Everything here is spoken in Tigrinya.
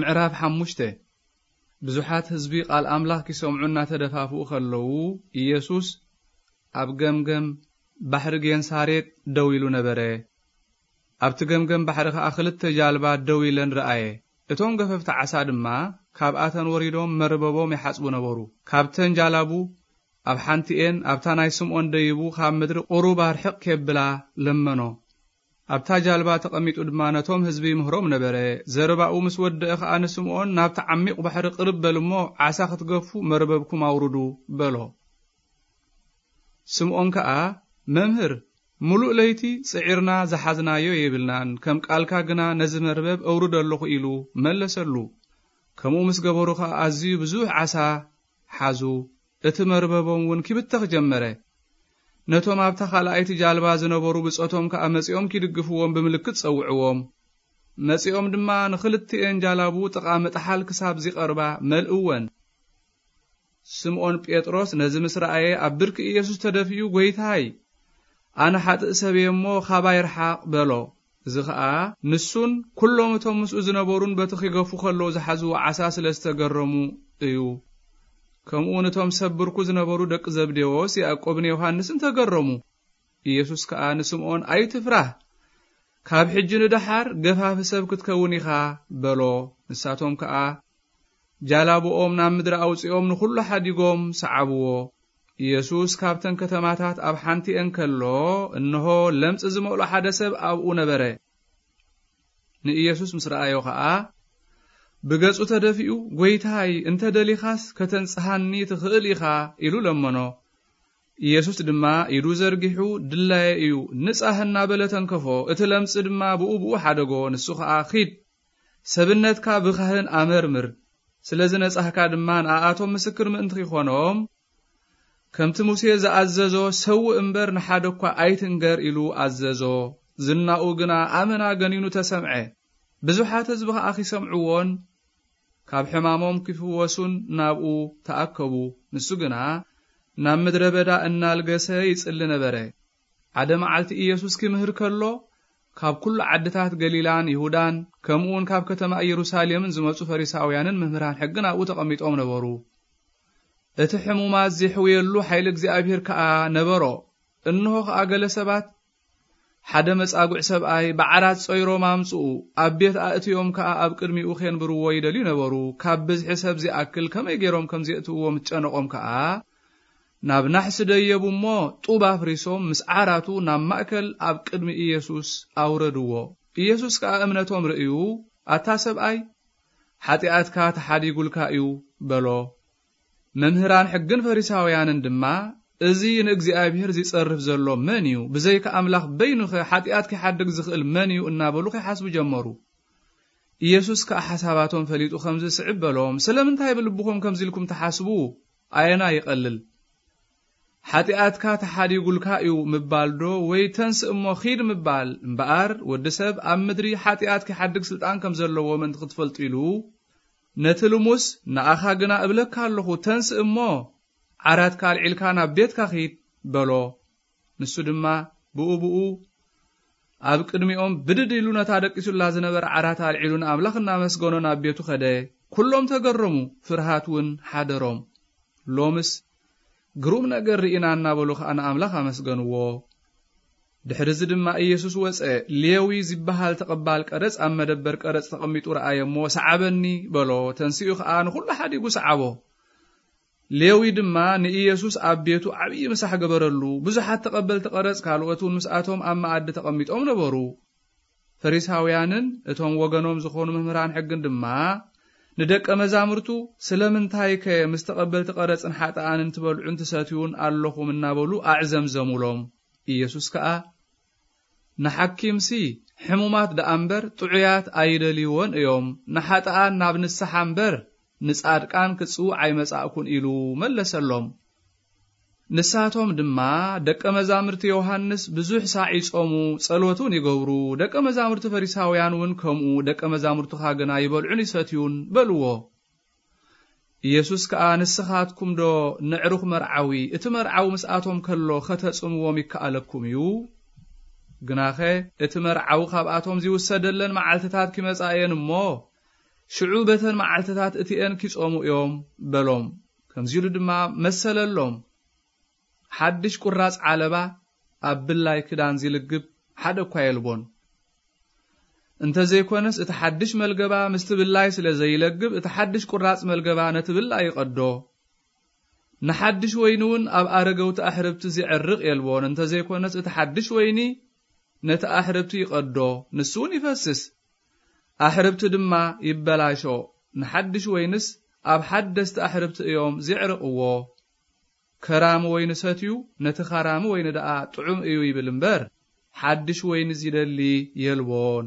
ምዕራፍ ሓሙሽተ። ብዙሓት ህዝቢ ቃል ኣምላኽ ኪሰምዑ እናተደፋፍኡ ኸለዉ፣ ኢየሱስ ኣብ ገምገም ባሕሪ ጌንሳሬጥ ደው ኢሉ ነበረ። ኣብቲ ገምገም ባሕሪ ኸኣ ኽልተ ጃልባ ደው ኢለን ረኣየ። እቶም ገፈፍቲ ዓሳ ድማ ካብኣተን ወሪዶም መርበቦም ይሓጽቡ ነበሩ። ካብተን ጃላቡ ኣብ ሓንቲኤን፣ ኣብታ ናይ ስምዖን ደይቡ፣ ካብ ምድሪ ቁሩብ ኣርሕቕ ኬብላ ለመኖ። ኣብታ ጃልባ ተቐሚጡ ድማ ነቶም ህዝቢ ይምህሮም ነበረ። ዘረባኡ ምስ ወደአ ኸኣ ንስምዖን፣ "ናብቲ ዓሚቕ ባሕሪ ቅርብ በል እሞ፣ ዓሳ ክትገፉ መርበብኩም ኣውርዱ" በሎ። ስምዖን ከኣ፣ "መምህር፣ ምሉእ ለይቲ ጽዒርና ዝሓዝናዮ የብልናን፣ ከም ቃልካ ግና ነዚ መርበብ እውርዶ ኣለኹ" ኢሉ መለሰሉ። ከምኡ ምስ ገበሩ ኸኣ ኣዝዩ ብዙሕ ዓሳ ሓዙ። እቲ መርበቦም እውን ኪብተኽ ጀመረ። ነቶም ኣብታ ኻልኣይቲ ጃልባ ዝነበሩ ብጾቶም ከኣ መጺኦም ኪድግፍዎም ብምልክት ጸውዕዎም። መጺኦም ድማ ንኽልቲኤን ጃላቡ ጥቓ ምጥሓል ክሳብ ዚቐርባ መልእወን። ስምዖን ጴጥሮስ ነዚ ምስ ረኣየ ኣብ ብርኪ ኢየሱስ ተደፊኡ፣ "ጐይታይ፣ ኣነ ሓጥእ ሰብ እየ እሞ፣ ኻባይ ርሓቕ" በሎ። እዚ ኸኣ ንሱን ኵሎም እቶም ምስኡ ዝነበሩን በቲ ኺገፉ ኸለዉ ዝሓዝዎ ዓሳ ስለ ዝተገረሙ እዩ። ከምኡ እውን እቶም ሰብ ብርኩ ዝነበሩ ደቂ ዘብዴዎስ፣ ያዕቆብን ዮሃንስን ተገረሙ። ኢየሱስ ከኣ ንስምዖን፣ "ኣይትፍራህ፣ ካብ ሕጂ ንደሓር ገፋፊ ሰብ ክትከውን ኢኻ" በሎ። ንሳቶም ከኣ ጃላብኦም ናብ ምድሪ ኣውጺኦም ንኹሉ ሓዲጎም ሰዓብዎ። ኢየሱስ ካብተን ከተማታት ኣብ ሓንቲ እንከሎ፣ እንሆ፣ ለምጽ ዝመልኦ ሓደ ሰብ ኣብኡ ነበረ። ንኢየሱስ ምስ ረኣዮ ኸኣ፣ ብገጹ ተደፊኡ፣ "ጐይታይ፣ እንተ ደሊኻስ፣ ከተንጽሃኒ ትኽእል ኢኻ" ኢሉ ለመኖ። ኢየሱስ ድማ ኢዱ ዘርጊሑ፣ "ድላየ እዩ፣ ንጻህ" እናበለ ተንከፎ። እቲ ለምጽ ድማ ብኡ ብኡ ሓደጎ። ንሱ ኸኣ፣ "ኺድ፣ ሰብነትካ ብኻህን ኣመርምር፣ ስለ ዝነጻህካ ድማ ንኣኣቶም ምስክር ምእንቲ ኺኾኖም፣ ከምቲ ሙሴ ዝኣዘዞ ሰውእ እምበር ንሓደ እኳ ኣይትንገር" ኢሉ ኣዘዞ። ዝናኡ ግና ኣመና ገኒኑ ተሰምዐ። ብዙሓት ህዝቢ ኸኣ ኺሰምዕዎን ካብ ሕማሞም ኪፍወሱን ናብኡ ተኣከቡ። ንሱ ግና ናብ ምድረ በዳ እናልገሰ ይጽሊ ነበረ። ሓደ መዓልቲ ኢየሱስ ኪምህር ከሎ፣ ካብ ኩሉ ዓድታት ገሊላን ይሁዳን፣ ከምኡውን ካብ ከተማ ኢየሩሳሌምን ዝመጹ ፈሪሳውያንን መምህራን ሕግን ኣብኡ ተቐሚጦም ነበሩ። እቲ ሕሙማት ዜሕውየሉ ሓይሊ እግዚኣብሔር ከኣ ነበሮ። እንሆ ኸኣ ገለ ሰባት፣ "ሓደ መጻጉዕ ሰብኣይ ብዓራት ጾይሮም ኣምጽኡ፣ ኣብ ቤት ኣእትዮም ከኣ ኣብ ቅድሚኡ ኬንብርዎ ይደልዩ ነበሩ። ካብ ብዝሒ ሰብ ዚኣክል ከመይ ገይሮም ከም ዜእትውዎ ምስ ጨነቖም ከኣ፣ ናብ ናሕሲ ደየቡ እሞ፣ ጡብ ኣፍሪሶም ምስ ዓራቱ ናብ ማእከል ኣብ ቅድሚ ኢየሱስ ኣውረድዎ። ኢየሱስ ከኣ እምነቶም ርእዩ፣ ኣታ ሰብኣይ፣ ሓጢኣትካ ተሓዲጉልካ እዩ" በሎ። መምህራን ሕግን ፈሪሳውያንን ድማ፣ "እዚ ንእግዚኣብሔር ዚጸርፍ ዘሎ መን እዩ? ብዘይካ ኣምላኽ በይኑኸ ሓጢኣት ኪሓድግ ዝኽእል መን እዩ?" እናበሉ ኺሓስቡ ጀመሩ። ኢየሱስ ከኣ ሓሳባቶም ፈሊጡ ኸምዚ ስዕብ በሎም፣ "ስለምንታይ ብልብኹም ከምዚ ኢልኩም ትሓስቡ? ኣየና ይቐልል? ሓጢኣትካ ተሓዲጉልካ እዩ ምባል ዶ፣ ወይ ተንስእ እሞ ኺድ ምባል? እምበኣር፣ ወዲ ሰብ ኣብ ምድሪ ሓጢኣት ኪሓድግ ስልጣን ከም ዘለዎ ምእንቲ ክትፈልጡ ኢሉ፣ ነቲ ልሙስ፣ ንኣኻ ግና እብለካ ኣለኹ፣ ተንስእ እሞ ዓራትካ ኣልዒልካ ናብ ቤትካ ኺድ" በሎ። ንሱ ድማ ብኡ ብኡ ኣብ ቅድሚኦም ብድድ ኢሉ ነታ ደቂሱላ ዝነበረ ዓራት ኣልዒሉ ንኣምላኽ እናመስገኖ ናብ ቤቱ ኸደ። ኩሎም ተገረሙ፣ ፍርሃት እውን ሓደሮም። ሎምስ ግሩም ነገር ርኢና እናበሉ ኸኣ ንኣምላኽ ኣመስገንዎ። ድሕሪ እዚ ድማ ኢየሱስ ወጸ። ሌዊ ዝበሃል ተቐባል ቀረጽ ኣብ መደበር ቀረጽ ተቐሚጡ ረኣየ እሞ፣ "ሰዓበኒ" በሎ። ተንሲኡ ኸኣ ንኹሉ ሓዲጉ ሰዓቦ። ሌዊ ድማ ንኢየሱስ ኣብ ቤቱ ዓብዪ ምሳሕ ገበረሉ። ብዙሓት ተቐበልቲ ቀረጽ ካልኦት እውን ምስኣቶም ኣብ መኣዲ ተቐሚጦም ነበሩ። ፈሪሳውያንን እቶም ወገኖም ዝኾኑ መምህራን ሕግን ድማ ንደቀ መዛሙርቱ፣ "ስለምንታይከ ምስ ተቐበልቲ ቀረጽን ሓጥኣንን ትበልዑን ትሰትዩን ኣለኹም?" እናበሉ ኣዕዘምዘሙሎም። ኢየሱስ ከኣ፣ "ንሓኪምሲ ሕሙማት ደኣ እምበር ጥዑያት ኣይደልይዎን እዮም፣ ንሓጥኣን ናብ ንስሓ እምበር ንጻድቃን ክጽውዕ ኣይመጻእኩን" ኢሉ መለሰሎም። ንሳቶም ድማ፣ "ደቀ መዛሙርቲ ዮሃንስ ብዙሕ ሳዕ ይጾሙ፣ ጸሎት እውን ይገብሩ፣ ደቀ መዛሙርቲ ፈሪሳውያን እውን ከምኡ፣ ደቀ መዛሙርትኻ ግና ይበልዑን ይሰትዩን" በልዎ። ኢየሱስ ከኣ፣ "ንስኻትኩም ዶ ነዕሩኽ መርዓዊ፣ እቲ መርዓዊ ምስኣቶም ከሎ ኸተጽምዎም ይከኣለኩም እዩ? ግናኸ እቲ መርዓዊ ካብኣቶም ዚውሰደለን መዓልትታት ኪመጻ እየን እሞ፣ ሽዑ በተን መዓልትታት እቲኤን ኪጾሙ እዮም በሎም። ከምዚ ኢሉ ድማ መሰለሎም፣ ሓድሽ ቁራጽ ዓለባ ኣብ ብላይ ክዳን ዚልግብ ሓደ እኳ የልቦን። እንተ ዘይኮነስ እቲ ሓድሽ መልገባ ምስቲ ብላይ ስለ ዘይለግብ፣ እቲ ሓድሽ ቁራጽ መልገባ ነቲ ብላይ ይቐዶ። ንሓድሽ ወይኒ እውን ኣብ ኣረገውቲ ኣሕርብቲ ዚዕርቕ የልቦን። እንተ ዘይኮነስ እቲ ሓድሽ ወይኒ ነቲ ኣሕርብቲ ይቐዶ፣ ንሱ እውን ይፈስስ፣ ኣሕርብቲ ድማ ይበላሾ። ንሓድሽ ወይንስ ኣብ ሓደስቲ ኣሕርብቲ እዮም ዜዕርቕዎ። ከራሚ ወይኒ ሰትዩ ነቲ ኻራሚ ወይኒ ደኣ ጥዑም እዩ ይብል እምበር፣ ሓድሽ ወይኒ ዚደሊ የልቦን።